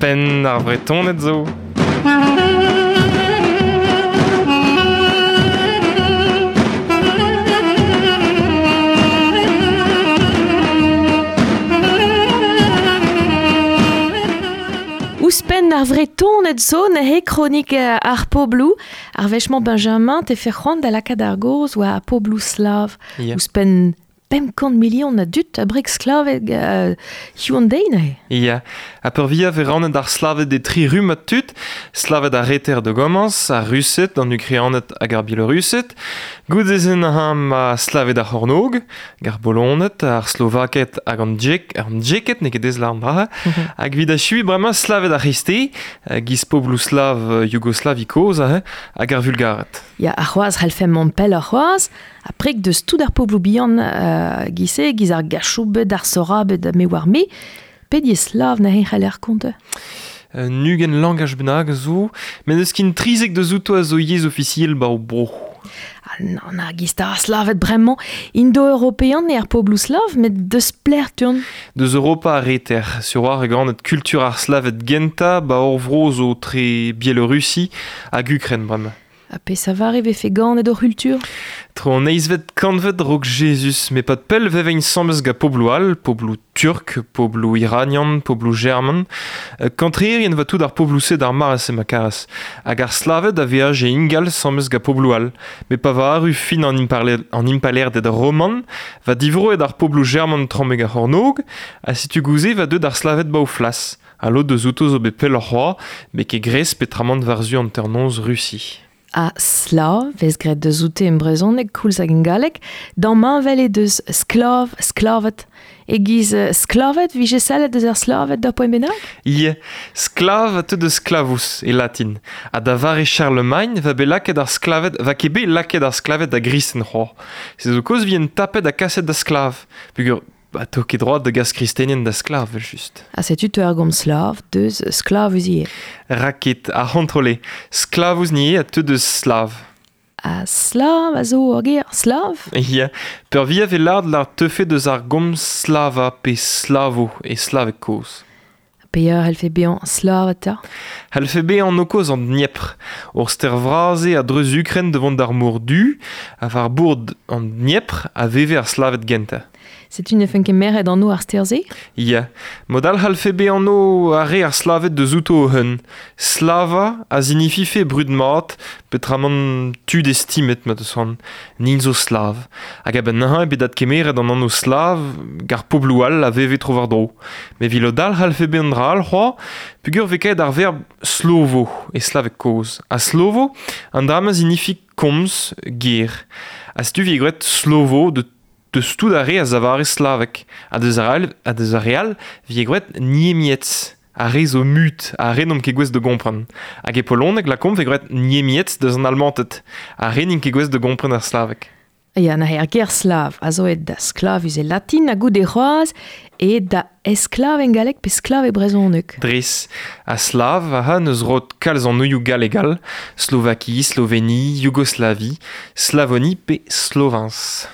Ouzhpenn ar Vretoned zo. Ouzhpenn ar Vretoned zo neuze kronik ar pobloù. Ar wech-mañ Benjamin te fe c'hoant da lakaat ar gaoz war ar pobloù slav. Ya. Ouzhpenn 500 milion a dud a breg sklaved hiziv an deiz neuze. Ya, ha peurvuiañ vez rannet ar Slaved e tri rummad tud, Slaved ar reter da gomañs, ar Rused, an Ukrained hag ar Bielorused. Goude-se neuze ma Slaved ar c'hornôg, hag ar Boloned, ar Slovaked hag an Djek, an Djeked n'eo ket dezhañ an dra. Hag evit achuiñ bremañ Slaved ar c'hreisteiz, giz pobloù slav Yougoslavi kozh aze, hag ar Vulgared. Ya, ar c'hoazh c'hellfemp mont pelloc'h c'hoazh, ha preg deus tout ar pobloù bihan giz-se, giz ar Gachoubed, ar Sorabed, ha me oar me, pet yezh slav neuze c'haller kontañ? Un ugent langaj bennak a zo, met n'eus ket 13 deus outo a zo yezh ofisiel 'ba o bro. Ah nann, ar giz ar Slaved bremañ, indo-european eo ar pobloù slav, met deus pelec'h teuont? Deus Europa ar reter, sur war e ganet kultur ar Slaved gentañ 'ba hor vro zo tre Bielorussi hag Ukren bremañ. Ha peseurt e vefe ganet hor c'hultur? Tro an eizhvet kantved raok Jezuz, met pad pell veveint asambles gant pobloù all, pobloù turk, pobloù iranian, pobloù german. Kantreerien va tout ar pobloù-se d'ar mare-se ma karas. Hag ar Slaved a veaje ingal asambles gant pobloù all. Met pa va arru fin an, an impalaerded roman, va divroet ar pobloù german tramek ar c'hornôg, ha setu gouze va deuet ar Slaved ba o flas. Ha lod eus outo zo bet pelloc'h c'hoazh, met ket gres petramant war-zu hanternoz Rusi. Ha slav vez graet deus oute en brezhoneg koulz hag en galleg, damheñvel eo deus sklav, sklaved. E-giz sklaved vije sellet deus ar slaved d'ur poent bennak? Ya, sklav a teu deus sklavous e latin. Ha da vare Charlemagne va bet lakaet ar sklaved, va ket bet lakaet ar sklaved da gristen c'hoazh. Se zo kaoz vient tapet ha kaset da sklav. Peogwir Ba, to ket droad da gas kristenien da sklav, evel-just. Ha setu teu ar gomz slav deus sklavus ivez. Raket, ar c'hontrole. Sklavus ni a teu deus slav. Ha slav a zo ur ger slav? Ya, peurvuiañ vez lâret lar teufe deus ar gomz slava pe slavo e slaveg kozh. Peoc'h c'hellfe bezañ slav eta? C'hellfe bezañ anv kozh an Dniepr. Ur stêr vras eo a-dreuz Ukren da vont d'ar mor Du, ha war bord an Dniepr a veve ar Slaved gentañ. Setu ne fent ket merc'hed anv ar stêr-se? Ya, mod all c'hallfe bezañ anv ar re ar Slaved deus outo o-un. Slava a zinifife brud mat, petramant tud estimet ma deus c'hoant. Nin zo slav. Hag a-benn neuze eo bet adkemeret an anv slav gant ar pobloù all a veve tro-war-dro. Met evit lod all c'hallfe bezañ un dra all c'hoazh, peogwir vez kaet ar verb slovo e slaveg kozh. Ha slovo, an dra-mañ zinifi komz, ger. Ha setu 'vit graet slovo de Deus tout ar re a zavare slavek, ha deus ar all, ha deus ar re all 'vije graet niemietz, ar re zo mut, ar re n'omp ket gouest da gompren. Hag e poloneg lakaomp 'vez graet niemietz deus an Almanted, ar re n'int ket gouest da gompren ar slaveg. Ya, neuze ar ger slav a zo aet da sklavus e latin ha goude c'hoazh aet da esklav en galleg pe sklav e brezhoneg. Dres, ha slav aha n'eus roet kalz anvioù gallek all, Slovaki, Sloveni, Yougoslavi, Slavoni pe Slovens.